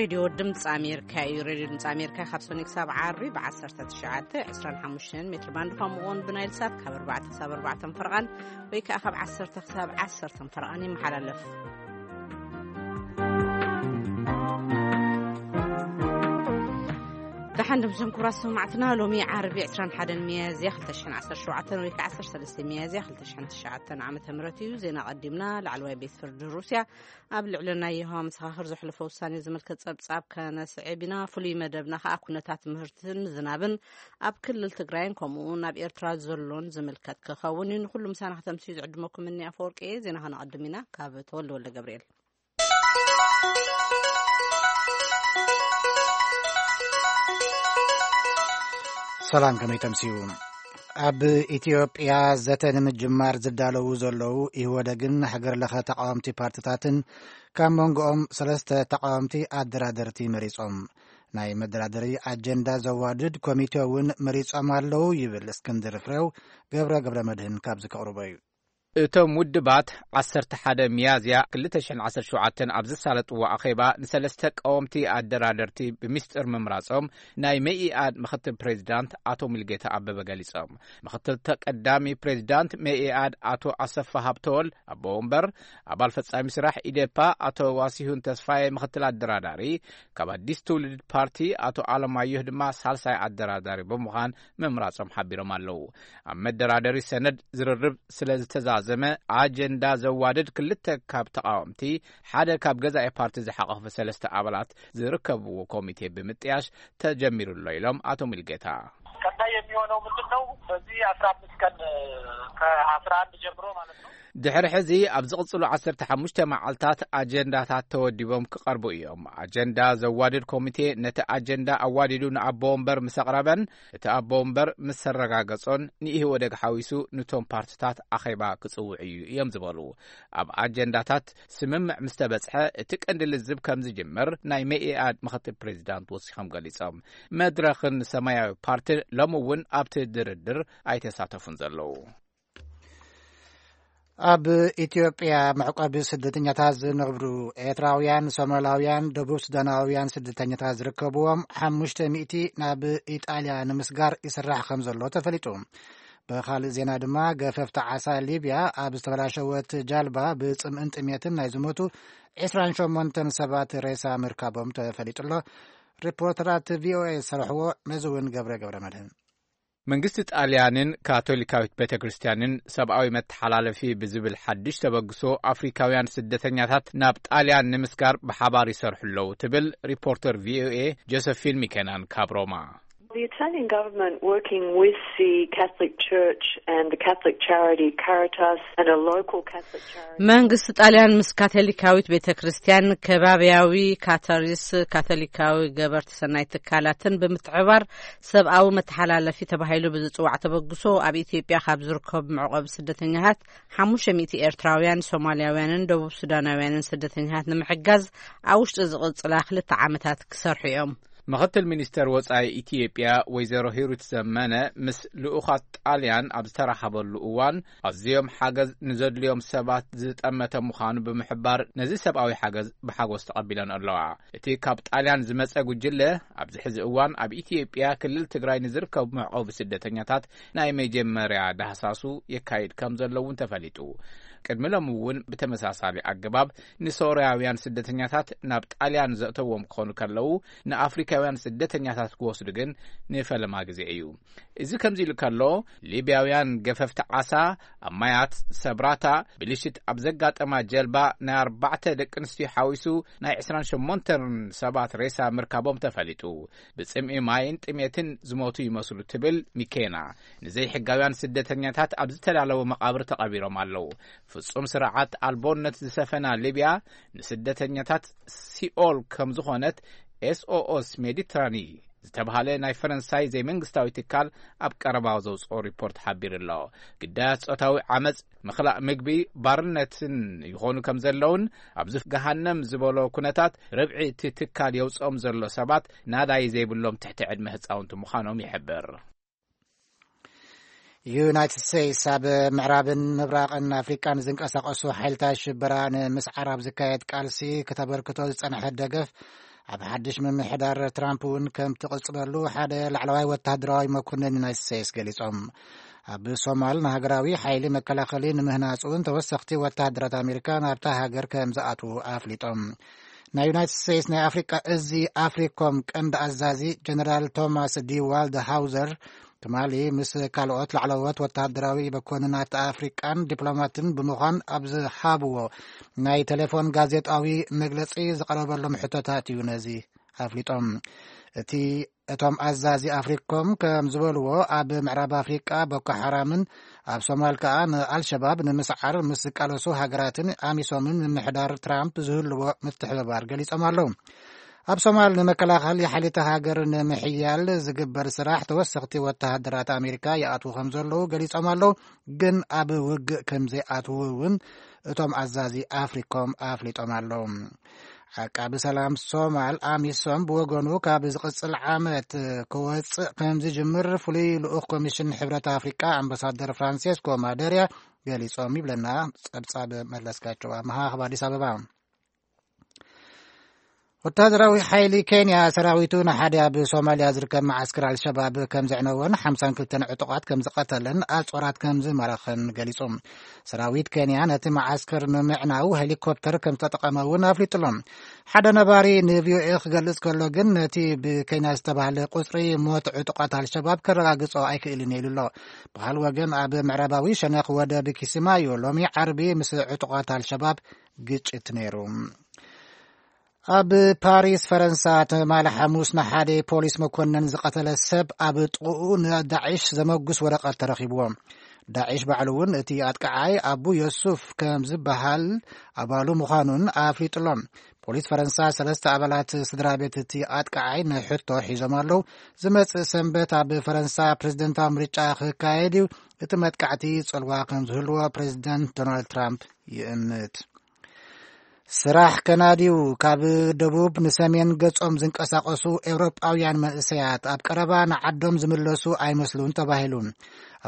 ሬድዮ ድምፂ ኣሜሪካ እዩ። ሬድዮ ድምፂ ኣሜሪካ ካብ ሰኑይ ክሳብ ዓርቢ ብ19፣ 25 ሜትር ባንድ፣ ከምኡ እውን ብናይል ሳት ካብ ኣርባዕተ ክሳብ ኣርባዕተ ፈረቓን ወይ ከዓ ካብ ዓሰርተ ክሳብ ዓሰርተ ፈረቓን ይመሓላለፍ። ደሓን ድምፅን ክቡራት ሰማዕትና፣ ሎሚ ዓርቢ 21 ሚያዝያ 2017 ወይ ከዓ 13 ሚያዝያ 2009 ዓመተ ምህረት እዩ። ዜና ቀዲምና። ላዕለዋይ ቤት ፍርዲ ሩስያ ኣብ ልዕሊ ናይ የሆዋ መሰኻኽር ዘሕለፎ ውሳኔ ዝምልከት ጸብጻብ ከነስዕብ ኢና። ፍሉይ መደብና ከኣ ኩነታት ምህርትን ዝናብን ኣብ ክልል ትግራይን ከምኡ እውን ኣብ ኤርትራ ዘሎን ዝምልከት ክኸውን እዩ። ንኹሉ ምሳና ከተምስዩ ዝዕድመኩም እኒ ኣፈወርቂ እየ። ዜና ከነቐድም ኢና። ካብ ተወልደ ወልደ ገብርኤል። ሰላም፣ ከመይ ተምስዩ? ኣብ ኢትዮጵያ ዘተ ንምጅማር ዝዳለዉ ዘለዉ ኢህወደግን ሃገር ለኸ ተቃወምቲ ፓርትታትን ካብ መንጎኦም ሰለስተ ተቃወምቲ ኣደራደርቲ መሪጾም። ናይ መደራደሪ ኣጀንዳ ዘዋድድ ኮሚቴ እውን መሪጾም ኣለዉ ይብል እስክንድር ፍሬው። ገብረ ገብረ መድህን ካብዚ ከቕርቦ እዩ። እቶም ውድባት 11 ሚያዝያ 2017 ኣብ ዝሳለጥዎ ኣኼባ ንሰለስተ ቀወምቲ ኣደራደርቲ ብሚስጥር ምምራጾም ናይ መኢኣድ ምኽትል ፕሬዚዳንት ኣቶ ሙልጌታ ኣበበ ገሊጾም። ምኽትል ተቀዳሚ ፕሬዚዳንት መኢኣድ ኣቶ ኣሰፋ ሃብተወልድ ኣቦ ወንበር፣ ኣባል ፈጻሚ ስራሕ ኢዴፓ ኣቶ ዋሲሁን ተስፋዬ ምኽትል ኣደራዳሪ፣ ካብ ኣዲስ ትውልድ ፓርቲ ኣቶ ኣለማየሁ ድማ ሳልሳይ ኣደራዳሪ ብምዃን ምምራጾም ሓቢሮም ኣለዉ። ኣብ መደራደሪ ሰነድ ዝርርብ ስለ ዝተዛዘመ ኣጀንዳ ዘዋድድ ክልተ ካብ ተቃወምቲ ሓደ ካብ ገዛኢ ፓርቲ ዝሓቆፈ ሰለስተ ኣባላት ዝርከብዎ ኮሚቴ ብምጥያሽ ተጀሚሩ ኣሎ ኢሎም ኣቶ ሙልጌታ። ቀጣይ የሚሆነው ምንድን ነው? በዚህ 15 ቀን፣ ከ11 ጀምሮ ማለት ነው። ድሕሪ ሕዚ ኣብ ዝቕጽሉ 15 መዓልታት ኣጀንዳታት ተወዲቦም ክቐርቡ እዮም። ኣጀንዳ ዘዋድድ ኮሚቴ ነቲ ኣጀንዳ ኣዋዲዱ ንኣቦ ወንበር ምስ ኣቕረበን እቲ ኣቦ ወንበር ምስ ኣረጋገጾን ንኢህወደግ ሓዊሱ ንቶም ፓርትታት ኣኼባ ክጽውዕ እዩ እዮም ዝበሉ። ኣብ ኣጀንዳታት ስምምዕ ምስ ተበጽሐ እቲ ቀንዲ ልዝብ ከም ዝጅምር ናይ መኢኣድ ምኽትል ፕሬዚዳንት ወሲኾም ገሊጾም። መድረኽን ሰማያዊ ፓርትን ሎሚ እውን ኣብቲ ድርድር ኣይተሳተፉን ዘለዉ። ኣብ ኢትዮጵያ መዕቆቢ ስደተኛታት ዝነብሩ ኤርትራውያን፣ ሶማላውያን፣ ደቡብ ሱዳናውያን ስደተኛታት ዝርከብዎም 500 ናብ ኢጣልያ ንምስጋር ይስራሕ ከም ዘሎ ተፈሊጡ። ብኻልእ ዜና ድማ፣ ገፈፍቲ ዓሳ ሊብያ ኣብ ዝተበላሸወት ጃልባ ብጽምእን ጥሜትን ናይ ዝሞቱ 28 ሰባት ሬሳ ምርካቦም ተፈሊጡ ኣሎ። ሪፖርተራት ቪኦኤ ዝሰርሕዎ ነዚ እውን ገብረ ገብረ መድህን። መንግስቲ ጣልያንን ካቶሊካዊት ቤተ ክርስቲያንን ሰብኣዊ መተሓላለፊ ብዝብል ሓድሽ ተበግሶ ኣፍሪካውያን ስደተኛታት ናብ ጣልያን ንምስጋር ብሓባር ይሰርሑ ኣለዉ ትብል ሪፖርተር ቪኦኤ ጆሰፊን ሚኬናን ካብ ሮማ። The Italian government, working with the Catholic Church and the Catholic charity Caritas and a local Catholic charity. መንግስቲ ጣልያን ምስ ካቶሊካዊት ቤተ ክርስቲያን፣ ከባቢያዊ ካታሪስ፣ ካቶሊካዊ ገበርቲ ሰናይ ትካላትን ብምትሕባር ሰብኣዊ መተሓላለፊ ተባሂሉ ብዝጽዋዕ ተበግሶ ኣብ ኢትዮጵያ ካብ ዝርከቡ መዕቆቢ ስደተኛታት 500 ኤርትራውያን፣ ሶማልያውያንን ደቡብ ሱዳናውያንን ስደተኛታት ንምሕጋዝ ኣብ ውሽጢ ዝቕጽላ ክልተ ዓመታት ክሰርሑ እዮም። ምኽትል ሚኒስተር ወጻኢ ኢትዮጵያ ወይዘሮ ሂሩት ዘመነ ምስ ልኡኻት ጣልያን ኣብ ዝተራኸበሉ እዋን፣ ኣዝዮም ሓገዝ ንዘድልዮም ሰባት ዝጠመተ ምዃኑ ብምሕባር፣ ነዚ ሰብኣዊ ሓገዝ ብሓጎስ ተቐቢለን ኣለዋ። እቲ ካብ ጣልያን ዝመጸ ጉጅለ ኣብዚ ሕዚ እዋን ኣብ ኢትዮጵያ ክልል ትግራይ ንዝርከቡ መዕቆቢ ስደተኛታት ናይ መጀመርያ ዳህሳሱ የካይድ ከም ዘሎ እውን ተፈሊጡ። ቅድሚ ሎሚ እውን ብተመሳሳሊ ኣገባብ ንሶርያውያን ስደተኛታት ናብ ጣልያን ዘእተዎም ክኾኑ ከለዉ፣ ንኣፍሪካውያን ስደተኛታት ክወስዱ ግን ንፈለማ ግዜ እዩ። እዚ ከምዚ ኢሉ ከሎ፣ ሊብያውያን ገፈፍቲ ዓሳ ኣብ ማያት ሰብራታ ብልሽት ኣብ ዘጋጠማ ጀልባ ናይ ኣርባዕተ ደቂ ኣንስትዮ ሓዊሱ ናይ 28 ሰባት ሬሳ ምርካቦም ተፈሊጡ። ብጽምኢ ማይን ጥሜትን ዝሞቱ ይመስሉ ትብል ሚኬና። ንዘይሕጋውያን ስደተኛታት ኣብ ዝተዳለወ መቓብር ተቐቢሮም ኣለዉ። ፍጹም ስርዓት ኣልቦነት ዝሰፈና ሊብያ ንስደተኛታት ሲኦል ከም ዝኾነት ኤስኦኤስ ሜዲትራኒ ዝተባሃለ ናይ ፈረንሳይ ዘይመንግስታዊ ትካል ኣብ ቀረባ ዘውፅኦ ሪፖርት ሓቢሩ ኣሎ። ግዳያት ጾታዊ ዓመፅ፣ ምኽላእ ምግቢ፣ ባርነትን ይኾኑ ከም ዘለውን ኣብዚ ገሃነም ዝበሎ ኩነታት ርብዒ እቲ ትካል የውፅኦም ዘሎ ሰባት ናዳይ ዘይብሎም ትሕቲ ዕድመ ህፃውንቲ ምዃኖም ይሕብር። ዩናይትድ ስቴትስ ኣብ ምዕራብን ምብራቕን ኣፍሪቃን ዝንቀሳቐሱ ሓይልታት ሽበራ ንምስዓር ኣብ ዝካየድ ቃልሲ ከተበርክቶ ዝጸንሐት ደገፍ ኣብ ሓድሽ ምምሕዳር ትራምፕ እውን ከም ትቕጽለሉ ሓደ ላዕለዋይ ወተሃደራዊ መኮንን ዩናይትድ ስቴትስ ገሊጾም። ኣብ ሶማል ንሃገራዊ ሓይሊ መከላኸሊ ንምህናጽ እውን ተወሰኽቲ ወተሃደራት ኣሜሪካ ናብታ ሃገር ከም ዝኣትዉ ኣፍሊጦም። ናይ ዩናይትድ ስቴትስ ናይ ኣፍሪቃ እዚ ኣፍሪኮም ቀንዲ ኣዛዚ ጀነራል ቶማስ ዲ ዋልድ ሃውዘር ትማሊ ምስ ካልኦት ላዕለዎት ወተሃደራዊ መኮንናት ኣፍሪቃን ዲፕሎማትን ብምዃን ኣብ ዝሃብዎ ናይ ቴሌፎን ጋዜጣዊ መግለጺ ዝቐረበሎም ሕቶታት እዩ ነዚ ኣፍሊጦም። እቲ እቶም ኣዛዚ ኣፍሪኮም ከም ዝበልዎ፣ ኣብ ምዕራብ ኣፍሪቃ ቦኮ ሓራምን ኣብ ሶማል ከኣ ንኣልሸባብ ንምስዓር ምስ ዝቃለሱ ሃገራትን ኣሚሶምን ምምሕዳር ትራምፕ ዝህልዎ ምትሕብባር ገሊጾም ኣለዉ። ኣብ ሶማል ንመከላኸሊ ሓይልታት ሃገር ንምሕያል ዝግበር ስራሕ ተወሰኽቲ ወተሃደራት ኣሜሪካ ይኣትዉ ከም ዘለዉ ገሊጾም ኣለዉ። ግን ኣብ ውግእ ከም ዘይኣትዉ እውን እቶም ኣዛዚ ኣፍሪኮም ኣፍሊጦም ኣለዉ። ዓቃቢ ሰላም ሶማል ኣሚሶም ብወገኑ ካብ ዝቕጽል ዓመት ክወጽእ ከም ዝጅምር ፍሉይ ልኡኽ ኮሚሽን ሕብረት ኣፍሪቃ ኣምባሳደር ፍራንሴስኮ ማደርያ ገሊጾም ይብለና ጸብጻብ መለስካቸው ኣምሃ ካብ ኣዲስ ኣበባ። ወታደራዊ ሓይሊ ኬንያ ሰራዊቱ ንሓደ ኣብ ሶማልያ ዝርከብ መዓስከር ኣልሸባብ ከም ዘዕነወን ሓምሳን ክልተን ዕጡቓት ከም ዝቐተለን ኣጽዋራት ከም ዝማረኸን ገሊጹ። ሰራዊት ኬንያ ነቲ መዓስከር ንምዕናው ሄሊኮፕተር ከም ዝተጠቐመ እውን ኣፍሊጡሎም። ሓደ ነባሪ ንቪኦኤ ክገልጽ ከሎ ግን ነቲ ብኬንያ ዝተባህለ ቁጽሪ ሞት ዕጡቓት ኣልሸባብ ከረጋግጾ ኣይክእልን ኢሉ ኣሎ። ብኻል ወገን ኣብ ምዕራባዊ ሸነኽ ወደብ ኪስማዮ ሎሚ ዓርቢ ምስ ዕጡቓት ኣልሸባብ ግጭት ነይሩ። ኣብ ፓሪስ ፈረንሳ ትማሊ ሓሙስ ንሓደ ፖሊስ መኮንን ዝቐተለ ሰብ ኣብ ጥቕኡ ንዳዒሽ ዘመጉስ ወረቐት ተረኺብዎ። ዳዒሽ ባዕሉ እውን እቲ ኣጥቃዓይ ኣቡ ዮሱፍ ከም ዝበሃል ኣባሉ ምዃኑን ኣፍሊጡሎም። ፖሊስ ፈረንሳ ሰለስተ ኣባላት ስድራ ቤት እቲ ኣጥቃዓይ ንሕቶ ሒዞም ኣለዉ። ዝመጽእ ሰንበት ኣብ ፈረንሳ ፕሬዝደንታዊ ምርጫ ክካየድ እዩ። እቲ መጥቃዕቲ ጽልዋ ከም ዝህልዎ ፕሬዝደንት ዶናልድ ትራምፕ ይእምት። ስራሕ ከናድዩ ካብ ደቡብ ንሰሜን ገጾም ዝንቀሳቐሱ ኤውሮጳውያን መንእሰያት ኣብ ቀረባ ንዓዶም ዝምለሱ ኣይመስሉን ተባሂሉ።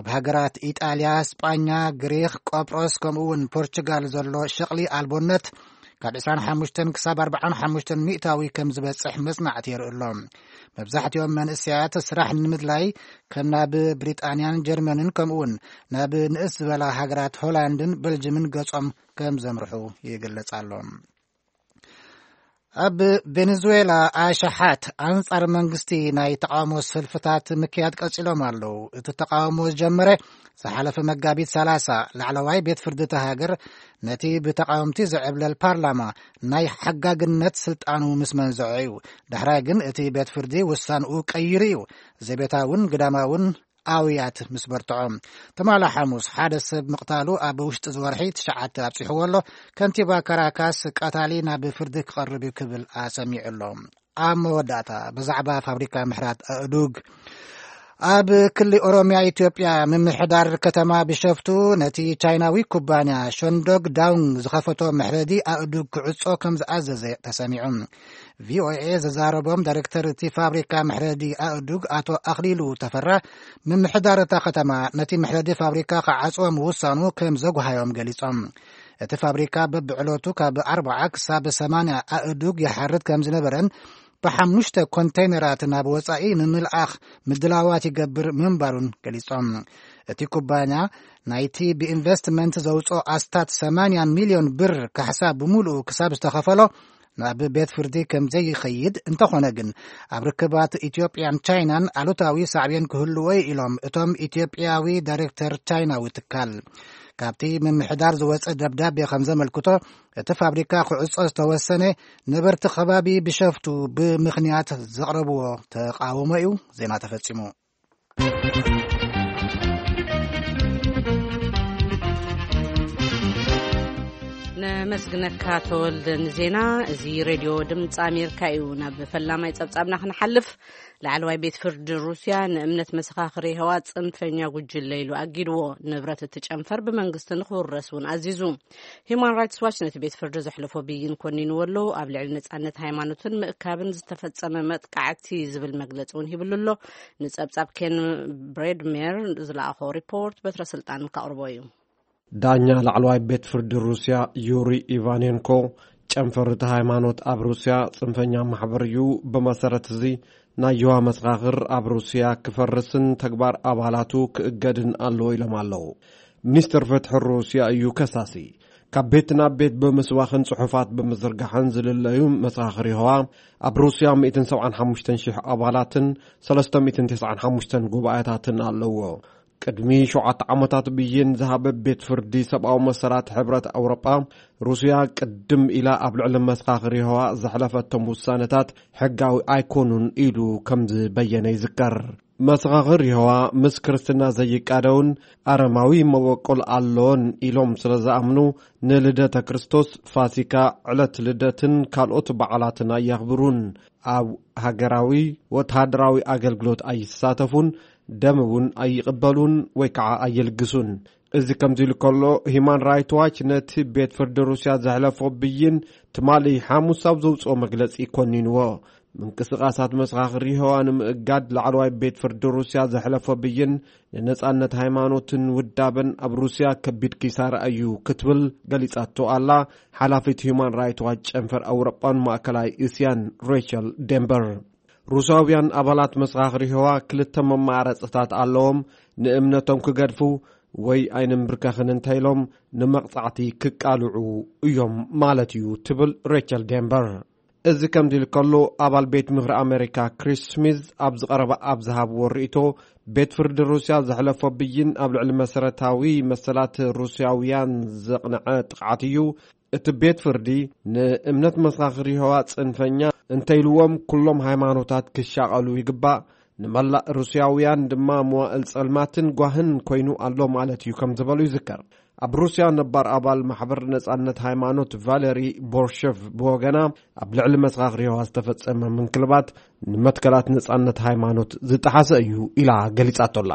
ኣብ ሃገራት ኢጣልያ፣ ስጳኛ፣ ግሪኽ፣ ቆጵሮስ ከምኡ እውን ፖርቹጋል ዘሎ ሸቕሊ ኣልቦነት ካብ ዕስራን ሓሙሽተን ክሳብ ኣርባዓን ሓሙሽተን ሚእታዊ ከም ዝበጽሕ መጽናዕቲ የርኢ ኣሎ። መብዛሕትኦም መንእሰያት ስራሕ ንምድላይ ከም ናብ ብሪጣንያን ጀርመንን ከምኡ እውን ናብ ንእስ ዝበላ ሃገራት ሆላንድን በልጅምን ገጾም ከም ዘምርሑ ይግለጽ ኣሎ። ኣብ ቬኔዙዌላ ኣሽሓት ኣንጻር መንግስቲ ናይ ተቃውሞ ሰልፍታት ምክያድ ቀጺሎም ኣለዉ። እቲ ተቃውሞ ዝጀመረ ዝሓለፈ መጋቢት ሰላሳ ላዕለዋይ ቤት ፍርዲ እታ ሃገር ነቲ ብተቃወምቲ ዝዕብለል ፓርላማ ናይ ሓጋግነት ስልጣኑ ምስ መንዘዖ እዩ። ዳሕራይ ግን እቲ ቤት ፍርዲ ውሳንኡ ቀይሩ እዩ። ዘቤታውን ግዳማውን ኣውያት ምስ በርትዖ። ትማሊ ሓሙስ ሓደ ሰብ ምቕታሉ ኣብ ውሽጢ ዝወርሒ ትሽዓተ ኣብጺሕዎ ኣሎ። ከንቲባ ካራካስ ቀታሊ ናብ ፍርዲ ክቐርብ እዩ ክብል ኣሰሚዑ ኣሎ። ኣብ መወዳእታ ብዛዕባ ፋብሪካ ምሕራት ኣእዱግ ኣብ ክሊ ኦሮምያ ኢትዮጵያ ምምሕዳር ከተማ ቢሸፍቱ ነቲ ቻይናዊ ኩባንያ ሸንዶግ ዳውንግ ዝኸፈቶ መሕረዲ ኣእዱግ ክዕጾ ከም ዝኣዘዘ ተሰሚዑ። ቪኦኤ ዘዛረቦም ዳይሬክተር እቲ ፋብሪካ መሕረዲ ኣእዱግ ኣቶ ኣኽሊሉ ተፈራ፣ ምምሕዳር እታ ከተማ ነቲ መሕረዲ ፋብሪካ ክዓጽዎ ምውሳኑ ከም ዘጉሃዮም ገሊጾም። እቲ ፋብሪካ በብዕለቱ ካብ ኣርባዓ ክሳብ ሰማንያ ኣእዱግ ይሓርድ ከም ዝነበረን ብሓሙሽተ ኮንተይነራት ናብ ወጻኢ ንምልኣኽ ምድላዋት ይገብር ምንባሩን ገሊጾም። እቲ ኩባንያ ናይቲ ብኢንቨስትመንት ዘውጽኦ ኣስታት ሰማንያ ሚልዮን ብር ካሕሳ ብምሉኡ ክሳብ ዝተኸፈሎ ናብ ቤት ፍርዲ ከም ዘይኸይድ፣ እንተኾነ ግን ኣብ ርክባት ኢትዮጵያን ቻይናን ኣሉታዊ ሳዕቤን ክህልዎ እዩ ኢሎም እቶም ኢትዮጵያዊ ዳይሬክተር ቻይናዊ ትካል። ካብቲ ምምሕዳር ዝወጸ ደብዳቤ ከም ዘመልክቶ፣ እቲ ፋብሪካ ክዕጾ ዝተወሰነ ነበርቲ ከባቢ ቢሸፍቱ ብምኽንያት ዘቕረብዎ ተቃውሞ እዩ። ዜና ተፈጺሙ። ነመስግነካ ተወልደ ንዜና። እዚ ሬድዮ ድምፂ ኣሜሪካ እዩ። ናብ ፈላማይ ጸብጻብና ክንሓልፍ፣ ላዕለዋይ ቤት ፍርዲ ሩስያ ንእምነት መሰኻኽሪ የሆዋ ጽንፈኛ ጉጅለ ኢሉ ኣጊድዎ። ንብረት እቲ ጨንፈር ብመንግስቲ ንክውረስ እውን ኣዚዙ። ሂዩማን ራይትስ ዋች ነቲ ቤት ፍርዲ ዘሕለፎ ብይን ኮኒንዎ ኣሎ። ኣብ ልዕሊ ነጻነት ሃይማኖትን ምእካብን ዝተፈጸመ መጥቃዕቲ ዝብል መግለጺ እውን ሂብሉ ኣሎ። ንጸብጻብ ኬን ብሬድሜር ዝለኣኾ ሪፖርት በትረ ስልጣን ከቕርቦ እዩ። ዳኛ ላዕለዋይ ቤት ፍርዲ ሩስያ ዩሪ ኢቫኔንኮ ጨንፈር እቲ ሃይማኖት ኣብ ሩስያ ጽንፈኛ ማሕበር እዩ። ብመሰረት እዚ ናይ የዋ መሰኻኽር ኣብ ሩስያ ክፈርስን ተግባር ኣባላቱ ክእገድን ኣለዎ ኢሎም ኣለዉ። ሚኒስትር ፍትሒ ሩስያ እዩ ከሳሲ። ካብ ቤት ናብ ቤት ብምስባኽን ጽሑፋት ብምዝርጋሕን ዝልለዩ መሰኻኽር የሆዋ ኣብ ሩስያ ሚእትን ሰብዓን ሓሙሽተን ሽሕ ኣባላትን ሰለስተ ሚእትን ተስዓን ሓሙሽተን ጉባኤታትን ኣለዎ። ቅድሚ ሸውዓተ ዓመታት ብይን ዝሃበ ቤት ፍርዲ ሰብኣዊ መሰላት ሕብረት ኣውሮጳ፣ ሩስያ ቅድም ኢላ ኣብ ልዕሊ መሰኻኽር የሆዋ ዘሕለፈቶም ውሳነታት ሕጋዊ ኣይኮኑን ኢሉ ከም ዝበየነ ይዝከር። መሰኻኽር የሆዋ ምስ ክርስትና ዘይቃደውን ኣረማዊ መበቆል ኣለዎን ኢሎም ስለ ዝኣምኑ፣ ንልደተ ክርስቶስ፣ ፋሲካ፣ ዕለት ልደትን ካልኦት በዓላትን ኣየኽብሩን። ኣብ ሃገራዊ ወተሃደራዊ ኣገልግሎት ኣይሳተፉን፣ ደም እውን ኣይቕበሉን ወይ ከዓ ኣይልግሱን። እዚ ከምዚ ኢሉ ከሎ፣ ሂማን ራይት ዋች ነቲ ቤት ፍርዲ ሩስያ ዘሕለፎ ብይን ትማሊ ሓሙስ ኣብ ዘውፅኦ መግለፂ ኮኒንዎ። ምንቅስቓሳት መሰኻኽር የሆዋ ንምእጋድ ላዕለዋይ ቤት ፍርዲ ሩስያ ዘሕለፎ ብይን ንነጻነት ሃይማኖትን ውዳበን ኣብ ሩስያ ከቢድ ኪሳራ እዩ ክትብል ገሊጻቶ ኣላ ሓላፊት ሂዩማን ራይት ዋች ጨንፈር ኣውሮጳን ማእከላይ እስያን ሬቸል ዴምበር። ሩስያውያን ኣባላት መሰኻኽር የሆዋ ክልተ መማረጽታት ኣለዎም፣ ንእምነቶም ክገድፉ ወይ ኣይንምብርከኽን እንተኢሎም ንመቕጻዕቲ ክቃልዑ እዮም ማለት እዩ ትብል ሬቸል ዴምበር። እዚ ከምዚ ኢሉ ከሎ፣ ኣባል ቤት ምኽሪ ኣሜሪካ ክሪስ ስሚዝ ኣብ ዝቐረበ ኣብ ዝሃብዎ ርእይቶ፣ ቤት ፍርዲ ሩስያ ዘሕለፎ ብይን ኣብ ልዕሊ መሰረታዊ መሰላት ሩስያውያን ዘቕንዐ ጥቕዓት እዩ። እቲ ቤት ፍርዲ ንእምነት መሰኻኽር የሆዋ ጽንፈኛ እንተኢልዎም፣ ኩሎም ሃይማኖታት ክሻቐሉ ይግባእ፣ ንመላእ ሩስያውያን ድማ መዋእል ጸልማትን ጓህን ኮይኑ ኣሎ ማለት እዩ ከም ዝበሉ ይዝከር። ኣብ ሩስያ ነባር ኣባል ማሕበር ነጻነት ሃይማኖት ቫለሪ ቦርሸቭ ብወገና፣ ኣብ ልዕሊ መሰኻኽር የሆዋ ዝተፈጸመ ምንክልባት ንመትከላት ነጻነት ሃይማኖት ዝጠሓሰ እዩ ኢላ ገሊጻቶላ።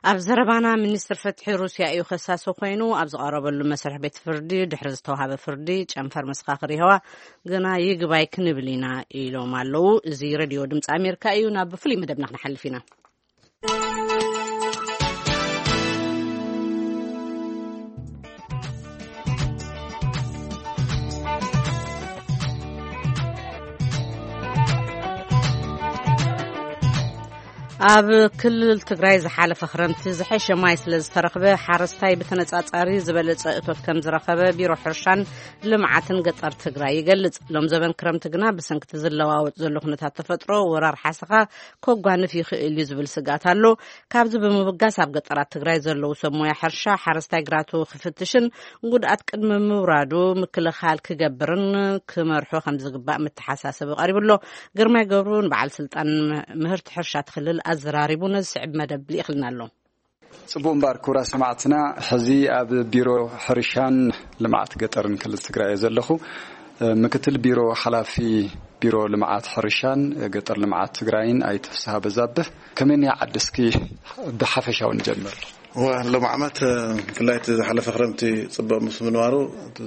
ኣብ ዘረባና፣ ሚኒስትር ፍትሒ ሩስያ እዩ ከሳሲ ኮይኑ ኣብ ዝቐረበሉ መስርሕ ቤት ፍርዲ፣ ድሕሪ ዝተዋሃበ ፍርዲ ጨንፈር መሰኻኽር የሆዋ ግና ይግባይ ክንብል ኢና ኢሎም ኣለዉ። እዚ ሬድዮ ድምፂ ኣሜሪካ እዩ። ናብ ፍሉይ መደብና ክንሓልፍ ኢና። ኣብ ክልል ትግራይ ዝሓለፈ ክረምቲ ዝሐሸ ማይ ስለ ዝተረኽበ፣ ሓረስታይ ብተነጻጻሪ ዝበለጸ እቶት ከም ዝረኸበ ቢሮ ሕርሻን ልምዓትን ገጠር ትግራይ ይገልጽ። ሎም ዘበን ክረምቲ ግና ብሰንክቲ ዝለዋወጥ ዘሎ ኩነታት ተፈጥሮ፣ ወራር ሓሰኻ ከጓንፍ ይኽእል እዩ ዝብል ስግኣት ኣሎ። ካብዚ ብምብጋስ ኣብ ገጠራት ትግራይ ዘለዉ ሰብ ሞያ ሕርሻ፣ ሓረስታይ ግራቱ ክፍትሽን ጉድኣት ቅድሚ ምውራዱ ምክልኻል ክገብርን ክመርሖ ከም ዝግባእ መተሓሳሰቢ ቀሪቡ ኣሎ። ግርማይ ገብሩ ንበዓል ስልጣን ምህርቲ ሕርሻ እቲ ክልል ኣዘራሪቡ ነዚ ስዕብ መደብ ልኢኽልና ኣሎ። ጽቡቕ እምበኣር ክቡራት ሰማዕትና፣ ሕዚ ኣብ ቢሮ ሕርሻን ልምዓት ገጠርን ክልል ትግራይ እየ ዘለኹ። ምክትል ቢሮ ሓላፊ ቢሮ ልምዓት ሕርሻን ገጠር ልምዓት ትግራይን ኣይተ ፍስሃ በዛብህ፣ ከመይ እኒኣ ዓዲ እስኪ ብሓፈሻዊ ንጀምር። እወ፣ ሎም ዓመት፣ ብፍላይ እቲ ዝሓለፈ ክረምቲ ጽቡቕ ምስ ምንባሩ፣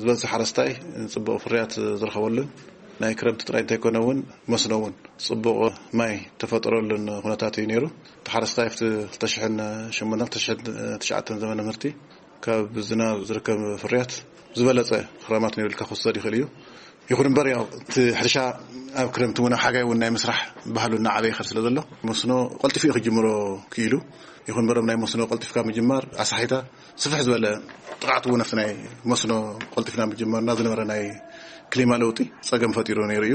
ዝበዝሕ ሓረስታይ ጽቡቕ ፍርያት ዝረኸበሉን፣ ናይ ክረምቲ ጥራይ እንተይኮነ እውን መስኖ እውን ጽቡቕ ማይ ተፈጠረሉን ኩነታት እዩ ነይሩ። እቲ ሓረስታይ ኣብቲ ክልተ ሽሕን ሸሞንተን፣ ክልተ ሽሕን ትሽዓተን ዘመነ ምህርቲ ካብ ዝናብ ዝርከብ ፍርያት ዝበለጸ ክራማት ነይሩ ኢልካ ክውሰድ ይኽእል እዩ። ይኹን እምበር፣ ያው እቲ ሕርሻ ኣብ ክረምቲ እውን ኣብ ሓጋይ እውን ናይ ምስራሕ ባህሉ እናዓበየ ይኸድ ስለ ዘሎ፣ መስኖ ቀልጢፉ እዩ ክጅምሮ ክኢሉ። ይኹን እምበር፣ ናይ መስኖ ቀልጢፍካ ምጅማር ኣሳሒታ ስፍሕ ዝበለ ጥቕዓት እውን ኣብቲ ናይ መስኖ ቀልጢፍና ምጅማርና ዝነበረ ናይ ክሊማ ለውጢ ጸገም ፈጢሩ ነይሩ እዩ።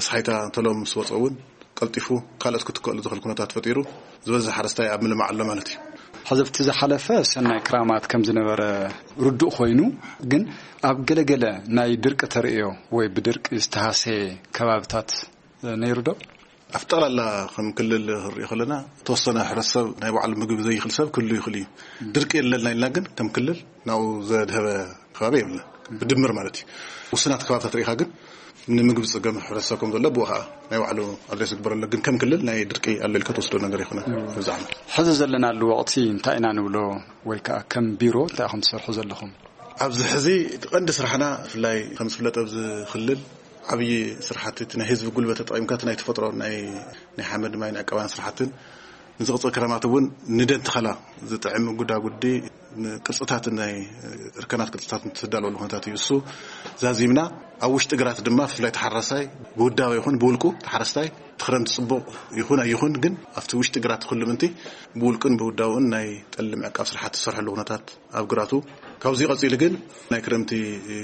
ኣሳሒታ ተሎ ምስ ወጸ እውን ቀልጢፉ ካልኦት ክትከሉ ዝኽእል ኩነታት ፈጢሩ፣ ዝበዝሕ ሓረስታይ ኣብ ምልማዕ ኣሎ ማለት እዩ። ሕዚ ኣብቲ ዝሓለፈ ሰናይ ክራማት ከም ዝነበረ ርዱእ ኮይኑ፣ ግን ኣብ ገለገለ ናይ ድርቂ ተርእዮ ወይ ብድርቂ ዝተሃሰየ ከባብታት ነይሩ ዶ? ኣብ ጠቕላላ ከም ክልል ክንሪኦ ከለና፣ ዝተወሰነ ሕብረተሰብ ናይ ባዕሉ ምግቢ ዘይኽእል ሰብ ክህሉ ይኽእል እዩ። ድርቂ የለና ኢልና ግን ከም ክልል ናብኡ ዘድሀበ ከባቢ የብልና። ብድምር ማለት እዩ። ውሱናት ከባብታት ርኢኻ ግን ንምግቢ ዝጸገም ሕብረተሰብ ከም ዘሎ ብኡ ኸኣ ናይ ባዕሉ ኣድሬስ ዝግበረሉ፣ ግን ከም ክልል ናይ ድርቂ ኣሎ ኢልካ ትወስዶ ነገር ኣይኮነን። እዚ ዓመት ሕዚ ዘለናሉ ወቕቲ እንታይ ኢና ንብሎ ወይ ከኣ ከም ቢሮ እንታይ ኢኹም ትሰርሑ ዘለኹም? ኣብዚ ሕዚ እቲ ቀንዲ ስራሕና ብፍላይ ከም ዝፍለጥ ኣብዚ ክልል ዓብዪ ስራሕቲ እቲ ናይ ህዝቢ ጉልበት ተጠቒምካ እቲ ናይ ተፈጥሮ ናይ፣ ናይ ሓመድ ማይ ናይ ዕቀባን ስራሕትን ንዝቕፅል ክረማት እውን ንደን ተኸላ ዝጥዕም ጉዳጉዲ ቅርፅታት ናይ እርከናት ቅርፅታት እንትዳለወሉ ኩነታት እዩ። እሱ ዛዚምና ኣብ ውሽጢ ግራት ድማ ብፍላይ ተሓራሳይ ብውዳበ ይኹን ብውልቁ ተሓረስታይ ትኽረምቲ ፅቡቕ ይኹን ኣይኹን ግን ኣብቲ ውሽጢ ግራት ኩሉ ምንቲ ብውልቅን ብውዳውን ናይ ጠሊ ምዕቃብ ስራሕቲ ዝሰርሐሉ ኩነታት ኣብ ግራቱ ካብዚ ቀፂሉ ግን ናይ ክረምቲ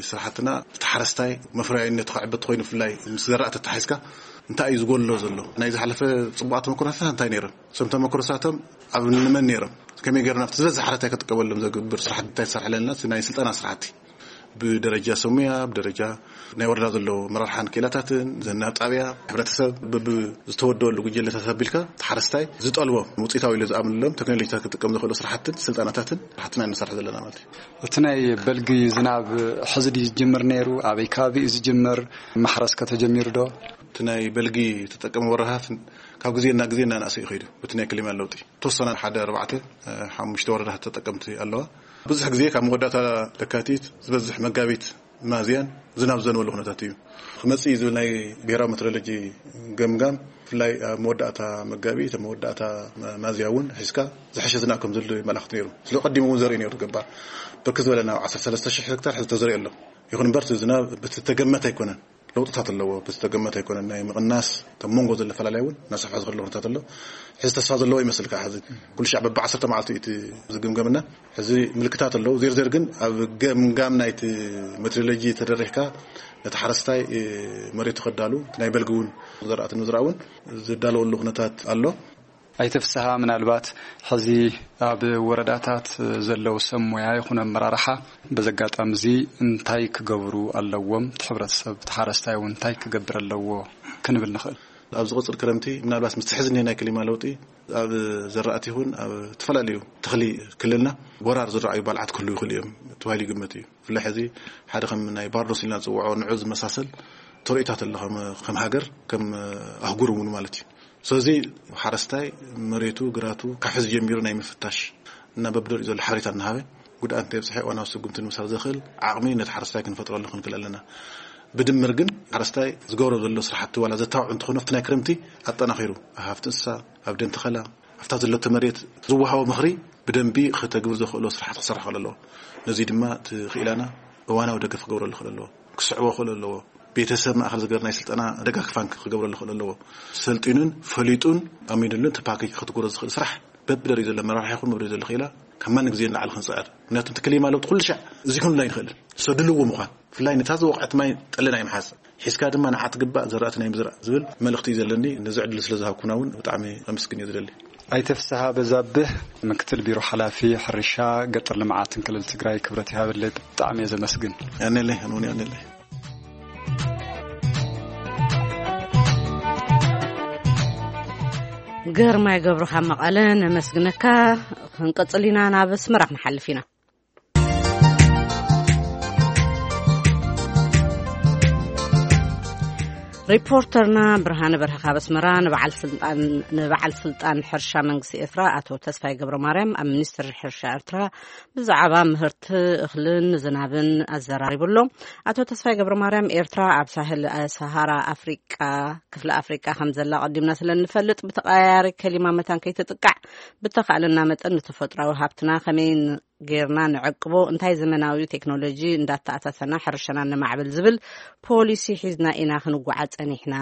ስራሕትና ተሓረስታይ መፍረያይነት ክዕበት ኮይኑ ብፍላይ ምስ ዘራእቲ ተታሒዝካ እንታይ እዩ ዝጎሎ ዘሎ ናይ ዝሓለፈ ፅቡቓት ተመክሮታት እንታይ ነይረን እሶም ተመክሮታቶም ኣብ ንመን ነይሮም ከመይ ገይርና ኣብቲ ዝበዝሕ ሓረታይ ክጥቀመሎም ዘግብር ስራሕቲ እንታይ ትሰርሐለና ናይ ስልጠና ስራሕቲ ብደረጃ ሰሙያ ብደረጃ ናይ ወረዳ ዘሎ መራርሓን ክኢላታትን ዘናብ ጣብያ ሕብረተሰብ ብዝተወደበሉ ጉጀለታት ኣቢልካ ተሓረስታይ ዝጠልቦ ውፅኢታዊ ኢሉ ዝኣምንሎም ቴክኖሎጂታት ክጥቀም ዝኽእሉ ስራሕትን ስልጠናታትን ስራሕትና ንሰርሕ ዘለና ማለት እዩ። እቲ ናይ በልጊ ዝናብ ሕዚ ድዩ ዝጅምር ነይሩ? ኣበይ ከባቢ እዩ ዝጅምር? ማሕረስ ከተጀሚሩ ዶ? እቲ ናይ በልጊ ተጠቀሚ ወረታት ካብ ግዜ ናብ ግዜ እናናእሰ እዩ ከይዱ። እቲ ናይ ክሊማ ለውጢ ተወሰና ሓደ ኣርባዕተ ሓሙሽተ ወረዳት ተጠቀምቲ ኣለዋ። ብዙሕ ግዜ ካብ መወዳእታ ለካቲት ዝበዝሕ መጋቢት ሚያዝያን ዝናብ ዘንበሉ ኩነታት እዩ ክመፅእ እዩ ዝብል ናይ ብሄራዊ ሜትሮሎጂ ገምጋም ብፍላይ ኣብ መወዳእታ መጋቢት ኣብ መወዳእታ ሚያዝያ እውን ሒዝካ ዝሐሸ ዝናብ ከም ዘሎ መላኽት ነይሩ። ስለ ቀዲሙ እውን ዘርኢ ነይሩ ገባር ብርክት ዝበለ ናብ ዓሰርተ ሰለስተ ሽሕ ሄክታር ሕዚ ተዘሪኡ ኣሎ። ይኹን እምበር እቲ ዝናብ በቲ ተገመተ ኣይኮነን። ለውጥታት ኣለዎ። ብዝተገመተ ኣይኮነን ናይ ምቕናስ ካብ መንጎ ዘሎ ፈላላይ እውን እናሰፍሐ ዝኸደሉ ኩነታት ኣሎ። ሕዚ ተስፋ ዘለዎ ይመስል ከዓ ሕዚ ኩሉ ሻዕ በቢ ዓሰርተ መዓልቲ እቲ ዝግምገምና ሕዚ ምልክታት ኣለዉ። ዜርዜር ግን ኣብ ገምጋም ናይቲ ሜትሮሎጂ ተደሪሕካ ነቲ ሓረስታይ መሬቱ ከዳሉ ናይ በልጊ እውን ዘራእቲ ንምዝራእ እውን ዝዳለወሉ ኩነታት ኣሎ። ኣይተ ፍስሃ ምናልባት ሕዚ ኣብ ወረዳታት ዘለዉ ሰብ ሞያ ይኹን ኣመራርሓ በዚ ኣጋጣሚ እዚ እንታይ ክገብሩ ኣለዎም? እቲ ሕብረተሰብ እቲ ሓረስታይ እውን እንታይ ክገብር ኣለዎ ክንብል ንኽእል? ኣብ ዝቕፅል ክረምቲ ምናልባት ምስቲ ሕዚ ናይ ክሊማ ለውጢ ኣብ ዘራእቲ ይኹን ኣብ ዝተፈላለዩ ተኽሊ ክልልና ወራር ዝረኣዩ ባልዓት ክህልዉ ይኽእሉ እዮም ተባሂሉ ይግመት እዩ። ብፍላይ ሕዚ ሓደ ከም ናይ ባርዶስ ኢልና ዝፅውዖ ንዑ ዝመሳሰል ተርእዮታት ኣሎ ከም ሃገር ከም ኣህጉር እውን ማለት እዩ። ስለዚ ሓረስታይ መሬቱ ግራቱ ካብ ሕዚ ጀሚሩ ናይ ምፍታሽ እና በብደሪኡ ዘሎ ሓበሬታ እናሃበ ጉድኣት እንተየብፅሐ ዋናዊ ስጉምቲ ንምሳር ዘኽእል ዓቕሚ ነቲ ሓረስታይ ክንፈጥረሉ ክንክእል ኣለና። ብድምር ግን ሓረስታይ ዝገብሮ ዘሎ ስራሕቲ ዋላ ዘታውዕ እንተኾነ ኣብቲ ናይ ክረምቲ ኣጠናኺሩ ኣብ ሃፍቲ እንስሳ ኣብ ደን ተኸላ ኣብታ ዘለቶ መሬት ዝወሃቦ ምኽሪ ብደንቢ ከተግብር ዘኽእሎ ስራሕቲ ክሰርሕ ክእል ኣለዎ። ነዚ ድማ እቲ ክኢላና እዋናዊ ደገፍ ክገብረሉ ክእል ኣለዎ። ክስዕቦ ክእል ኣለዎ። ቤተሰብ ማእኸል ዝገበር ናይ ስልጠና ደጋግፋን ክገብረሉ ክእል ኣለዎ። ሰልጢኑን ፈሊጡን ኣሚኑሉን እቲ ፓኬጅ ክትግብሮ ዝኽእል ስራሕ በብደረጅ ዘሎ መራርሒ ይኹን በብደረጅ ዘሎ ክኢላ ካብ ማን ግዜ ንላዕሊ ክንፅዕር ምክንያቱ እቲ ክሊማ ለውጢ ኩሉ ሻዕ እዚ ክንብሎ ኣይንኽእልን ሰድልዎ ምዃን ብፍላይ ነታ ዝወቕዐት ማይ ጠለና ይምሓዝ ሒዝካ ድማ ንዓ ትግባእ ዘራእቲ ናይ ምዝራእ ዝብል መልእኽቲ እዩ ዘለኒ። ነዚ ዕድል ስለ ዝሃብኩና እውን ብጣዕሚ ኣመስግን እየ ዝደሊ። ኣይተ ፍስሃ በዛብህ ምክትል ቢሮ ሓላፊ ሕርሻ ገጠር ልምዓትን ክልል ትግራይ ክብረት ይሃበለይ ብጣዕሚ እየ ዘመስግን። ያኔለይ ኣነ እውን ያኔለይ። ግርማይ ገብሩ ካብ መቐለ ነመስግነካ። ክንቀፅል ኢና ናብ ኣስመራ ክንሓልፍ ኢና። ሪፖርተርና ብርሃነ በርሀ ካብ ኣስመራ ንበዓል ስልጣን ሕርሻ መንግስቲ ኤርትራ ኣቶ ተስፋይ ገብረ ማርያም ኣብ ሚኒስትሪ ሕርሻ ኤርትራ ብዛዕባ ምህርቲ እኽልን ዝናብን ኣዘራሪቡ ኣሎ። ኣቶ ተስፋይ ገብረ ማርያም ኤርትራ ኣብ ሳህል ሰሃራ ኣፍሪቃ ክፍለ ኣፍሪቃ ከም ዘላ ኣቐዲምና ስለ እንፈልጥ ብተቐያያሪ ከሊማ መታን ከይትጥቃዕ ብተኻእለና መጠን ንተፈጥራዊ ሃብትና ከመይ ጌርና ንዕቅቦ እንታይ ዘመናዊ ቴክኖሎጂ እንዳተኣሳሰና ሕርሻና ነማዕብል ዝብል ፖሊሲ ሒዝና ኢና ክንጓዓ ጸኒሕና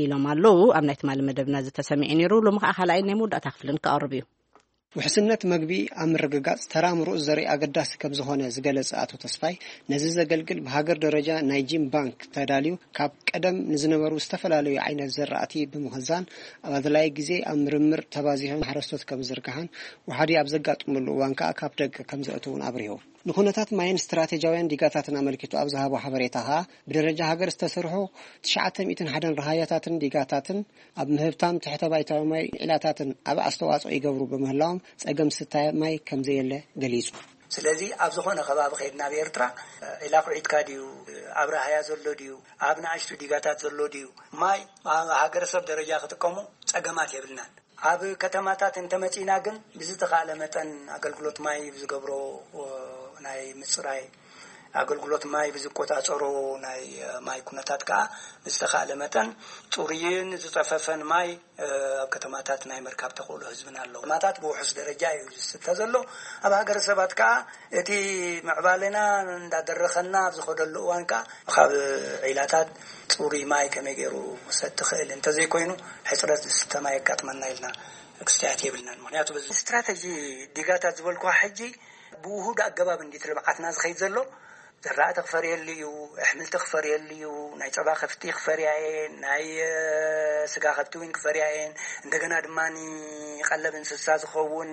ኢሎም ኣለዉ። ኣብ ናይ ትማሊ መደብና ዝተሰሚዐ ነይሩ። ሎሚ ከዓ ካልኣይ ናይ መወዳእታ ክፍልን ክቐርብ እዩ። ውሕስነት መግቢ ኣብ ምርግጋጽ ተራ ምሩጽ ዘርኢ ኣገዳሲ ከም ዝኾነ ዝገለጸ ኣቶ ተስፋይ ነዚ ዘገልግል ብሃገር ደረጃ ናይ ጂን ባንክ ተዳልዩ ካብ ቀደም ንዝነበሩ ዝተፈላለዩ ዓይነት ዘራእቲ ብምኽዛን ኣብ ኣድላዪ ግዜ ኣብ ምርምር ተባዚሑ ንሓረስቶት ከም ዝዝርግሓን ወሓዲ ኣብ ዘጋጥመሉ እዋን ከኣ ካብ ደገ ከም ዘእትውን ኣብሪሁ። ንኹነታት ማይን ስትራቴጂያውያን ዲጋታትን ኣመልኪቱ ኣብ ዝሃቦ ሓበሬታ ከኣ ብደረጃ ሃገር ዝተሰርሑ ትሽዓተ ሚእትን ሓደን ረሃያታትን ዲጋታትን ኣብ ምህብታም ትሕተ ባይታዊ ማይ ዒላታትን ዓቢ ኣስተዋጽኦ ይገብሩ ብምህላዎም ጸገም ስታይ ማይ ከም ዘየለ ገሊጹ። ስለዚ ኣብ ዝኾነ ከባቢ ከይድና ኣብ ኤርትራ ዒላ ኩዒትካ ድዩ ኣብ ረሃያ ዘሎ ድዩ ኣብ ንኣሽቱ ዲጋታት ዘሎ ድዩ ማይ ኣብ ሃገረሰብ ደረጃ ክጥቀሙ ጸገማት የብልናን። ኣብ ከተማታት እንተመጺእና ግን ብዝተኻእለ መጠን ኣገልግሎት ማይ ብዝገብሮ ናይ ምጽራይ ኣገልግሎት ማይ ብዝቆጻጸሮ ናይ ማይ ኩነታት ከኣ ብዝተኻእለ መጠን ጽሩይን ዝጸፈፈን ማይ ኣብ ከተማታት ናይ ምርካብ ተኽእሎ ህዝብና ኣሎ። ማታት ብውሑስ ደረጃ እዩ ዝስተ ዘሎ። ኣብ ሃገረሰባት ከኣ እቲ ምዕባለና እንዳደረኸና ኣብ ዝኸደሉ እዋን ከኣ ካብ ዒላታት ጽሩይ ማይ ከመይ ገይሩ ክሰቲ ክእል፣ እንተዘይኮይኑ ሕጽረት ዝስተ ማይ የጋጥመና ኢልና ክስተያት የብልናን። ምክንያቱ በዚ ስትራተጂ ዲጋታት ዝበልኩዋ ሕጂ ብውሁድ ኣገባብ እንዲት ልምዓትና ዝኸይድ ዘሎ። ዘራእቲ ክፈርየሉ እዩ፣ ኣሕምልቲ ክፈርየሉ እዩ፣ ናይ ጸባ ከፍቲ ክፈርያ እየን፣ ናይ ስጋ ከብቲ እውን ክፈርያ እየን። እንደገና ድማ ቀለብ እንስሳ ዝኸውን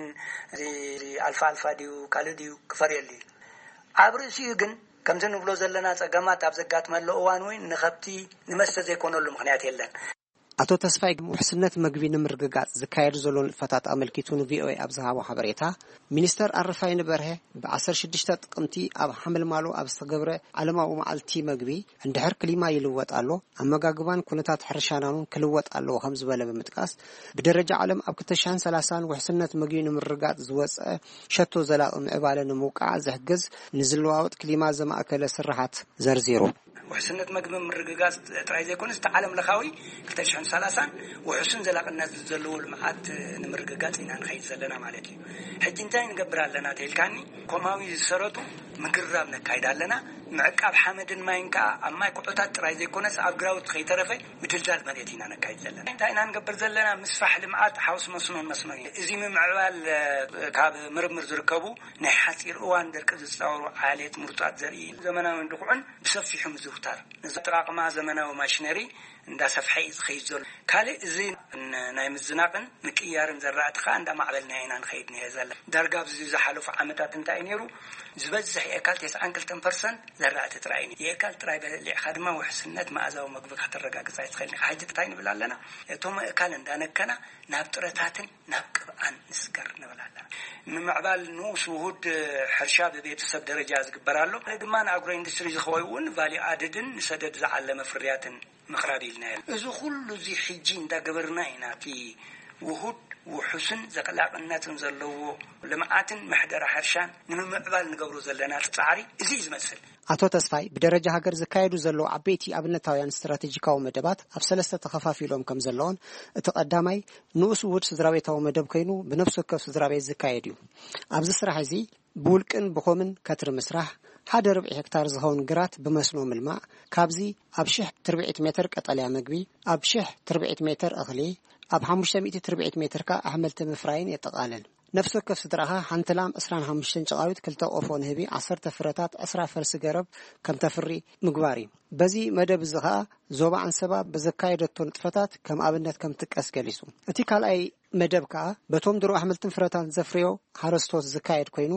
እዚ ኣልፋ ኣልፋ ድዩ ካልእ ድዩ ክፈርየሉ እዩ። ኣብ ርእሲኡ ግን ከምዚ ንብሎ ዘለና ጸገማት ኣብ ዘጋጥመሉ እዋን እውን ንኸብቲ ንመስተ ዘይኮነሉ ምኽንያት የለን። ኣቶ ተስፋይ ውሕስነት መግቢ ንምርግጋጽ ዝካየዱ ዘሎ ንጥፈታት ኣመልኪቱ ንቪኦኤ ኣብ ዝሃቦ ሓበሬታ፣ ሚኒስተር ኣረፋይነ በርሀ ብ16 ጥቅምቲ ኣብ ሓመልማሎ ኣብ ዝተገብረ ዓለማዊ መዓልቲ መግቢ፣ እንድሕር ክሊማ ይልወጥ ኣሎ፣ ኣመጋግባን ኩነታት ሕርሻናን ክልወጥ ኣለዎ ከም ዝበለ ብምጥቃስ፣ ብደረጃ ዓለም ኣብ 2030 ውሕስነት መግቢ ንምርጋጽ ዝወጸ ሸቶ ዘላቂ ምዕባለ ንምውቃዕ ዝሕግዝ ንዝለዋወጥ ክሊማ ዘማእከለ ስራሓት ዘርዚሩ። ውሕስነት መግቢ ምርግጋጽ ጥራይ ዘይኮነስ፣ እቲ ዓለም ለኻዊ 2030 ውሕሱን ዘላቕነት ዘለዎ ልምዓት ንምርግጋጽ ኢና ንኸይድ ዘለና ማለት እዩ። ሕጂ እንታይ ንገብር ኣለና ተይልካኒ፣ ኮማዊ ዝሰረቱ ምግራብ ነካይድ ኣለና። ምዕቃብ ሓመድን ማይን ከኣ ኣብ ማይ ኩዕታት ጥራይ ዘይኮነስ፣ ኣብ ግራውት ከይተረፈ ምድልዳል መሬት ኢና ነካይድ ዘለና። እንታይ ኢና ንገብር ዘለና? ምስፋሕ ልምዓት ሓውስ መስኖን መስኖ እዩ። እዚ ምምዕባል፣ ካብ ምርምር ዝርከቡ ናይ ሓጺር እዋን ደርቂ ዝጻወሩ ዓሌት ምሩጻት ዘርኢ ዘመናውን ድኹዕን ብሰፊሑ ምዝውታር፣ ነዚ ኣጠቃቅማ ዘመናዊ ማሽነሪ እንዳሰፍሐ እዩ ዝኸይድ ዘሎ። ካልእ እዚ ን-፣ ናይ ምዝናቅን ምቅያርን ዘራእቲ ከዓ እንዳማዕበልና ኢና ንኸይድ ነየ ዘለና። ዳርጋ ኣብዚ ዝሓለፉ ዓመታት እንታይ እዩ ነይሩ? ዝበዝሕ የካል 92% ዘራእቲ ጥራይ እዩ። የካል ጥራይ በሊዕካ ድማ ውሕስነት መኣዛዊ መግቢ ከተረጋግጽ ኣይትኽእልን ኢኻ። ሕጂ እንታይ ንብል ኣለና? እቶም ኣእካል እንዳነከና ናብ ጥረታትን ናብ ቅብኣን ንስገር ንብል ኣለና። ምምዕባል ንኡስ ውሁድ ሕርሻ ብቤተሰብ ደረጃ ዝግበር ኣሎ። ድማ ንኣግሮ ኢንዱስትሪ ዝኸውን ቫልዩ ኣድድን ንሰደድ ዝዓለመ ፍርያትን ምቕራብ ኢልና። እዚ ኩሉ እዚ ሕጂ እንዳገበርና ኢና። እቲ ውሁድ ውሑስን ዘላቕነትን ዘለዎ ልምዓትን ምሕደራ ሕርሻን ንምምዕባል ንገብሮ ዘለና ጻዕሪ እዚ እዩ ዝመስል። ኣቶ ተስፋይ ብደረጃ ሃገር ዝካየዱ ዘለዉ ዓበይቲ ኣብነታውያን ስትራቴጂካዊ መደባት ኣብ ሰለስተ ተኸፋፊሎም ከም ዘለውን፣ እቲ ቀዳማይ ንኡስ ውሁድ ስድራቤታዊ መደብ ኮይኑ ብነፍሲ ወከፍ ስድራቤት ዝካየድ እዩ። ኣብዚ ስራሕ እዚ ብውልቅን ብኮምን ከትሪ ምስራሕ፣ ሓደ ርብዒ ሄክታር ዝኸውን ግራት ብመስኖ ምልማዕ፣ ካብዚ ኣብ ሽሕ ትርብዒት ሜትር ቀጠልያ መግቢ፣ ኣብ ሽሕ ትርብዒት ሜትር እኽሊ፣ ኣብ ሓሙሽተ ሚእቲ ትርብዒት ሜትር ከኣ ኣሕምልቲ ምፍራይን የጠቓልል። ነፍሲ ወከፍ ስድራኻ ሓንቲ ላም፣ ዕስራን ሓሙሽተን ጨቓዊት፣ ክልተ ቆፎ ንህቢ፣ ዓሰርተ ፍረታት፣ ዕስራ ፈልሲ ገረብ ከም ተፍሪ ምግባር እዩ። በዚ መደብ እዚ ኸኣ ዞባ ዓንሰባ ብዘካየደቶ ንጥፈታት ከም ኣብነት ከም ትጥቀስ ገሊጹ። እቲ ካልኣይ መደብ ከኣ በቶም ድሮ ኣሕምልትን ፍረታትን ዘፍርዮ ሓረስቶት ዝካየድ ኮይኑ፣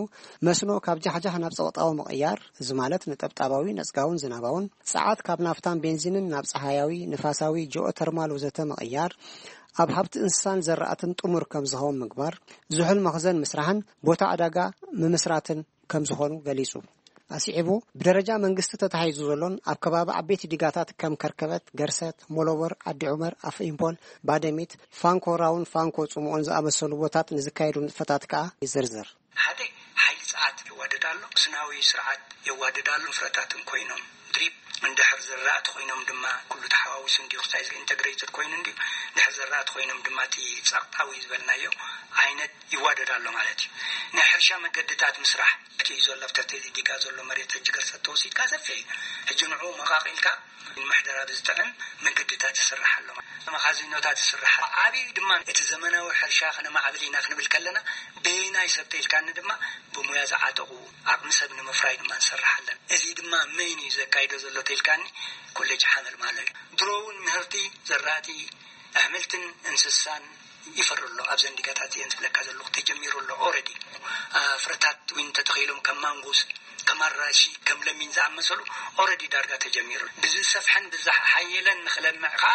መስኖ ካብ ጃሕጃሕ ናብ ጸቕጣዊ ምቕያር፣ እዚ ማለት ነጠብጣባዊ፣ ነጽጋውን ዝናባውን፣ ጸዓት ካብ ናፍታን ቤንዚንን ናብ ጸሃያዊ፣ ንፋሳዊ፣ ጂኦተርማል ወዘተ ምቕያር፣ ኣብ ሃብቲ እንስሳን ዘራእትን ጥሙር ከም ዝኸውን ምግባር፣ ዝሑል መኽዘን ምስራሕን ቦታ ዕዳጋ ምምስራትን ከም ዝኾኑ ገሊጹ። ኣስዒቡ፣ ብደረጃ መንግስቲ ተታሒዙ ዘሎን ኣብ ከባቢ ዓበይቲ ዲጋታት ከም ከርከበት፣ ገርሰት፣ ሞሎቦር፣ ዓዲ ዑመር፣ ኣፍ ኢምፖል፣ ባደሚት፣ ፋንኮ ራውን ፋንኮ ጽምኦን ዝኣመሰሉ ቦታት ንዝካየዱ ንጥፈታት ከኣ ይዝርዝር። ሓደ፣ ሓይሊ ጸዓት የዋድድ ኣሎ፣ ስናዊ ስርዓት የዋድድ ኣሎ። ፍረታትን ኮይኖም ድሪፕ እንድሕር ዝራእቲ ኮይኖም ድማ ኩሉ ተሓዋዊሱ እንዲዩ ክሳይ ኢንተግሬትድ ኮይኑ እንዲዩ። ድሕር ዘራእቲ ኮይኖም ድማ እቲ ጸቕጣዊ ዝበልናዮ ዓይነት ይዋደድ ኣሎ ማለት እዩ። ናይ ሕርሻ መገድታት ምስራሕ እቲ እዩ ዘሎ ኣብቲ ዲጋ ዘሎ መሬት ሕጂ ገርሰት ተወሲድካ ሰፊሕ እዩ። ሕጂ ንዕኡ መቓቒልካ ንምሕደራ ብዝጥዕም መንገድታት ይስራሕ ኣሎ። መኻዚኖታት ይስራሕ ኣሎ። ዓብዩ ድማ እቲ ዘመናዊ ሕርሻ ክነማዕብል ኢና ክንብል ከለና በየናይ ሰብ ተኢልካኒ ድማ ብሙያ ዝዓጠቑ ዓቕሚ ሰብ ንምፍራይ ድማ ንሰርሕ ኣለና። እዚ ድማ መን እዩ ዘካይዶ ዘሎ ተኢልካኒ ኮሌጅ ሓመልማሎ እዩ። ድሮ እውን ምህርቲ ዘራእቲ ኣሕምልትን እንስሳን ይፈሪ ኣሎ። ኣብዘን ዲጋታት እየን ዝብለካ ዘለኹ ተጀሚሩ ኣሎ። ኦረዲ ፍረታት እውን ተተኺሎም ከም ማንጎስ፣ ከም ኣራሺ፣ ከም ለሚን ዝኣመሰሉ ኦረዲ ዳርጋ ተጀሚሩ። ብዝሰፍሐን ብዝሓየለን ንኽለምዕ ከዓ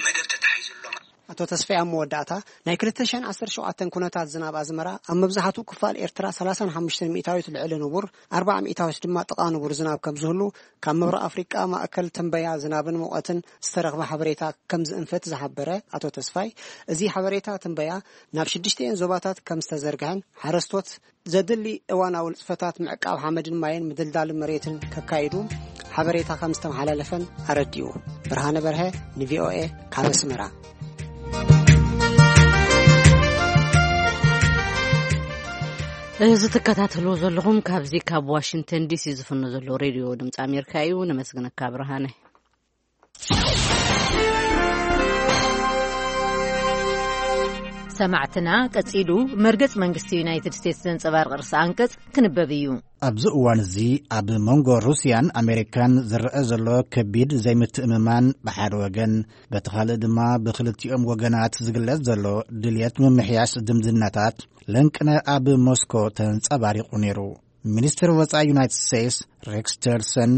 መደብ ተታሒዙ ኣሎ። ኣቶ ተስፋይ፣ ኣብ መወዳእታ፣ ናይ ክልተ ሽሕን ዓሰርተ ሸውዓተን ኩነታት ዝናብ ኣዝመራ ኣብ መብዛሕትኡ ክፋል ኤርትራ ሰላሳን ሓሙሽተን ሚእታዊት ልዕሊ ንቡር፣ ኣርባዓ ሚእታዊት ድማ ጥቓ ንቡር ዝናብ ከም ዝህሉ ካብ ምብራቕ ኣፍሪቃ ማእከል ትንበያ ዝናብን ሙቐትን ዝተረኽበ ሓበሬታ ከም ዝእንፍት ዝሓበረ ኣቶ ተስፋይ፣ እዚ ሓበሬታ ትንበያ ናብ ሽዱሽተኤን ዞባታት ከም ዝተዘርግሐን ሓረስቶት ዘድሊ እዋናዊ ንጥፈታት ምዕቃብ ሓመድን ማይን ምድልዳል መሬትን ከካይዱ ሓበሬታ ከም ዝተመሓላለፈን ኣረዲኡ። ብርሃነ በርሀ፣ ንቪኦኤ፣ ካብ ኣስመራ። እዚ ትከታተልዎ ዘለኹም ካብዚ ካብ ዋሽንግተን ዲሲ ዝፍኖ ዘሎ ሬድዮ ድምፂ ኣሜሪካ እዩ። ነመስግነካ ብርሃነ። ሰማዕትና፣ ቀጺሉ መርገጽ መንግስቲ ዩናይትድ ስቴትስ ዘንጸባርቕ ርእሰ ኣንቀጽ ክንበብ እዩ። ኣብዚ እዋን እዚ ኣብ መንጎ ሩስያን ኣሜሪካን ዝረአ ዘሎ ከቢድ ዘይምትእምማን ብሓደ ወገን፣ በቲ ካልእ ድማ ብክልቲኦም ወገናት ዝግለጽ ዘሎ ድልየት ምምሕያሽ ዝምድናታት ለንቅነ ኣብ ሞስኮ ተንጸባሪቑ ነይሩ። ሚኒስትር ወጻኢ ዩናይትድ ስቴትስ ሬክስ ቲለርሰን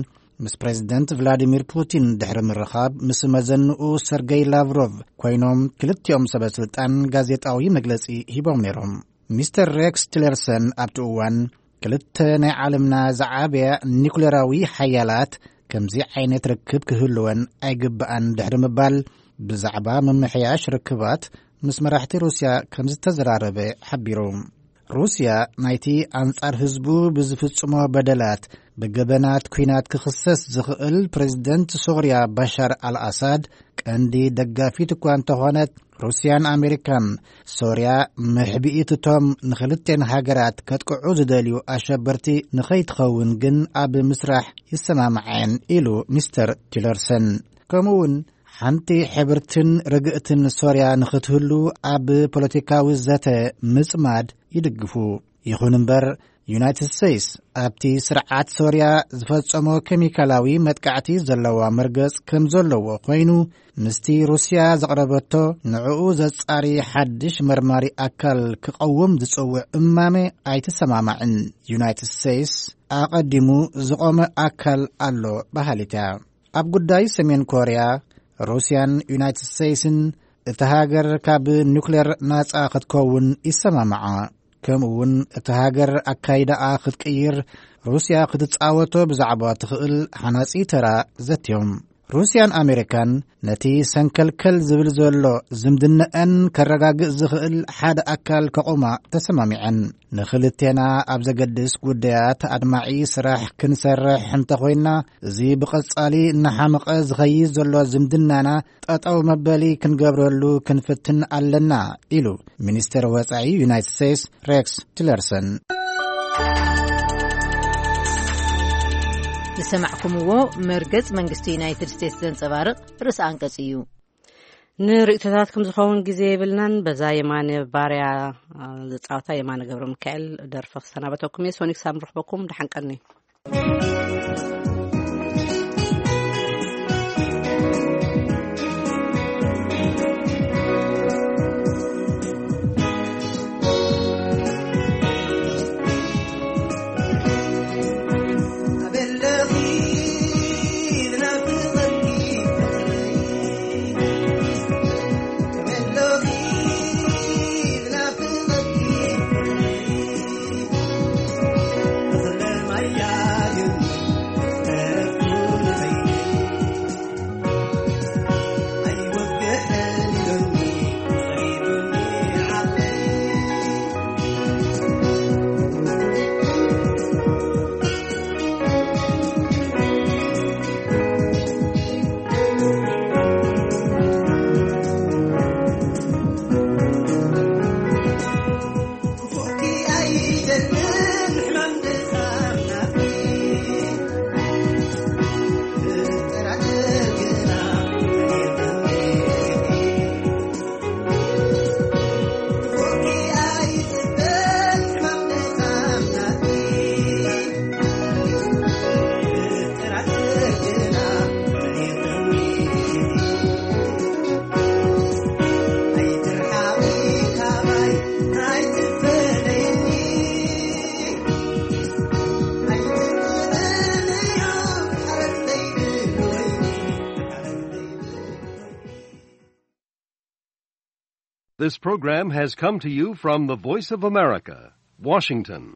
ምስ ፕሬዚደንት ቭላዲሚር ፑቲን ድሕሪ ምርኻብ ምስ መዘንኡ ሰርገይ ላቭሮቭ ኮይኖም ክልቲኦም ሰበ ስልጣን ጋዜጣዊ መግለጺ ሂቦም ነይሮም። ሚስተር ሬክስ ቲለርሰን ኣብቲ እዋን ክልተ ናይ ዓለምና ዝዓበያ ኒኩሌራዊ ሓያላት ከምዚ ዓይነት ርክብ ክህልወን ኣይግብኣን ድሕሪ ምባል ብዛዕባ ምምሕያሽ ርክባት ምስ መራሕቲ ሩስያ ከም ዝተዘራረበ ሓቢሩ። ሩስያ ናይቲ ኣንጻር ህዝቡ ብዝፍጽሞ በደላት ብገበናት ኲናት ክኽሰስ ዝኽእል ፕሬዝደንት ሶርያ ባሻር ኣልኣሳድ ቀንዲ ደጋፊት እኳ እንተኾነት፣ ሩስያን ኣሜሪካን ሶርያ መሕቢኢትቶም ንኽልቴን ሃገራት ከጥቅዑ ዝደልዩ ኣሸበርቲ ንኸይትኸውን ግን ኣብ ምስራሕ ይሰማምዐን ኢሉ ሚስተር ቲለርሰን። ከምኡውን ሓንቲ ሕብርትን ርግእትን ሶርያ ንኽትህሉ ኣብ ፖለቲካዊ ዘተ ምጽማድ ይድግፉ። ይኹን እምበር፣ ዩናይትድ ስቴትስ ኣብቲ ስርዓት ሶርያ ዝፈጸሞ ኬሚካላዊ መጥቃዕቲ ዘለዋ መርገጽ ከም ዘለዎ ኮይኑ፣ ምስቲ ሩስያ ዘቕረበቶ ንዕኡ ዘጻሪ ሓድሽ መርማሪ ኣካል ክቐውም ዝጽውዕ እማመ ኣይትሰማማዕን። ዩናይትድ ስቴትስ ኣቐዲሙ ዝቖመ ኣካል ኣሎ በሃሊት እያ። ኣብ ጉዳይ ሰሜን ኮርያ፣ ሩስያን ዩናይትድ ስቴትስን እታ ሃገር ካብ ኑክሌር ናጻ ክትከውን ይሰማማዓ። ከምኡ እውን እታ ሃገር ኣካይዳኣ ክትቅይር ሩስያ ክትጻወቶ ብዛዕባ ትኽእል ሓናጺ ተራ ዘትዮም። ሩስያን ኣሜሪካን ነቲ ሰንከልከል ዝብል ዘሎ ዝምድነአን ከረጋግእ ዝኽእል ሓደ ኣካል ከቑማ ተሰማሚዐን። ንኽልቴና ኣብ ዘገድስ ጉዳያት ኣድማዒ ስራሕ ክንሰርሕ እንተኾይንና፣ እዚ ብቐጻሊ እናሓመቐ ዝኸይድ ዘሎ ዝምድናና ጠጠው መበሊ ክንገብረሉ ክንፍትን ኣለና፣ ኢሉ ሚኒስተር ወጻኢ ዩናይትድ ስቴትስ ሬክስ ቲለርሰን። ዝሰማዕኩምዎ መርገጽ መንግስቲ ዩናይትድ ስቴትስ ዘንጸባርቕ ርእሰ ኣንቀጽ እዩ። ንርእይቶታትኩም ዝኸውን ግዜ የብልናን። በዛ የማነ ባርያ፣ አ፣ ዝጻወታ የማነ ገብረ ሚካኤል ደርፈ ክሰናበተኩም እየ። ሶኒክ ሳም ርኽበኩም፣ ደሓን ቀኒ። This program has come to you from the Voice of America, Washington.